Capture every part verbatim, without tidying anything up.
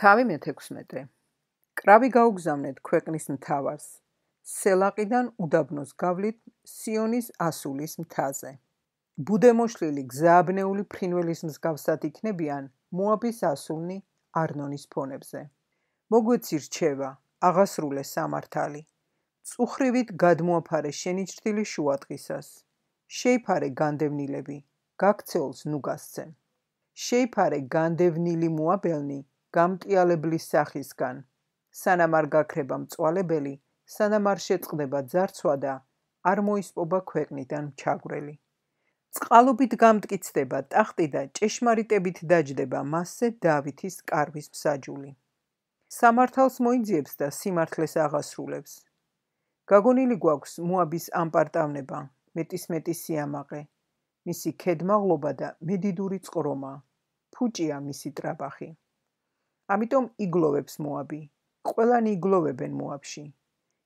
თავი მეთექვსმეტე. კრავი გაუგზავნეთ ქვეყნის მთავარს. სელაყიდან უდაბნოს გავლით სიონის ასულის მთაზე. ბუდემოშლილი გზააბნეული ფრინველის მსგავსად იქნებიან მოაბის ასულნი არნონის ფონებზე. მოგვეცი რჩევა, აღასრულე სამართალი. წუხრივით გადმოაფარე შენი ჭრილი შუადღისას. შეიფარე განდევნილები, გაქცეულს ნუ გასცემ. შეიფარე განდევნილი მოაბელნი გამტიალებლის სახისგან. სანამ არ გაქრება მწვალებელი, სანამ არ შეწყდება ძარცვა და არ მოისპობა ქვეყნიდან ჩაგვრელი. წყალობით გამტკიცდება ტახტი და ჭეშმარიტებით დაჯდება მასზე დავითის კარვის მსაჯული. სამართალს მოიძიებს და სიმართლეს აღასრულებს. გაგონილი გვაქვს მოაბის ამპარტავნება, მეტისმეტი სიამაყე, მისი ქედმაღლობა და მედიდური წყრომა, ფუჭია მისი ტრაბახი. ამიტომ იგლოვებს მოაბი, ყველანი იგლოვებენ მოაბში.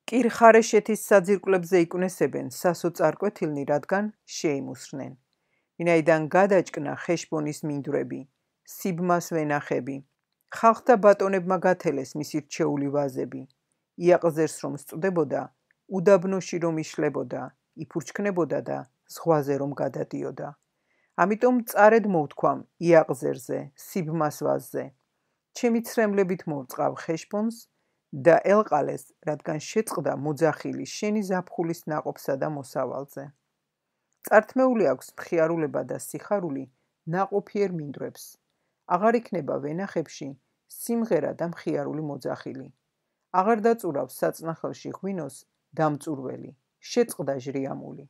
კირ-ხარეშეთის საძირკვლებზე იქნესებენ სასო წარკვეთილნი, რადგან შეიმუსრნენ. ვინაიდან გადაჭკნა ხეშბონის მინდვრები, სიბმას ვენახები, ხალხთა ბატონებმა გათელეს მისი რჩეული ვაზები. იაყზერს რომ სწდებოდა, უდაბნოში რომ იშლებოდა, იფურჩქნებოდა და ზღვაზე რომ გადადიოდა. ამიტომ წარედ მოვთქვამ იაყზერზე, სიბმას ვაზზე. ჩემი ცრემლებით მოვწყავ ხეშბონს და ელყალეს, რადგან შეწყდა მოძახილი შენი ზაფხულის ნაყოფსა და მოსავალზე. წართმეული აქვს მხიარულება და სიხარული ნაყოფიერ მინდვრებს. აღარ იქნება ვენახებში სიმღერა და მხიარული მოძახილი. აღარ დაწურავს საწნახელში ღვინოს დამწურველი, შეწყდა ჟრიამული.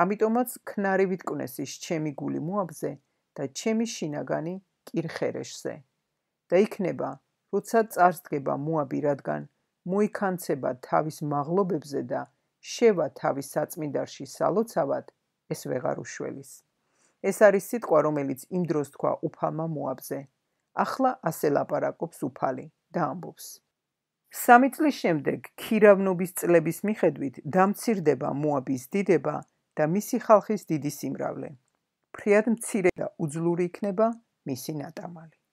ამიტომაც ქნარი ვიტკვნესის ჩემი გული მოაბზე და ჩემი შინაგანი კირ-ხერეშზე. და იქნება, როცა წარს დგება მოაბი, რადგან მოიქანცება თავის მაღლობებზე და შევა თავის საწმინდარში სალოცავად, ეს ვეღარ უშველის. ეს არის სიტყვა, რომელიც იმ დროს თქვა უფალმა მოაბზე. ახლა ასე ლაპარაკობს უფალი და ამბობს. სამი წლის შემდეგ ქირავნობის წლების მიხედვით დამცირდება მოაბის დიდება და მისი ხალხის დიდი სიმრავლე. ფრიად მცირე და უძლური იქნება მისი ნატამალი.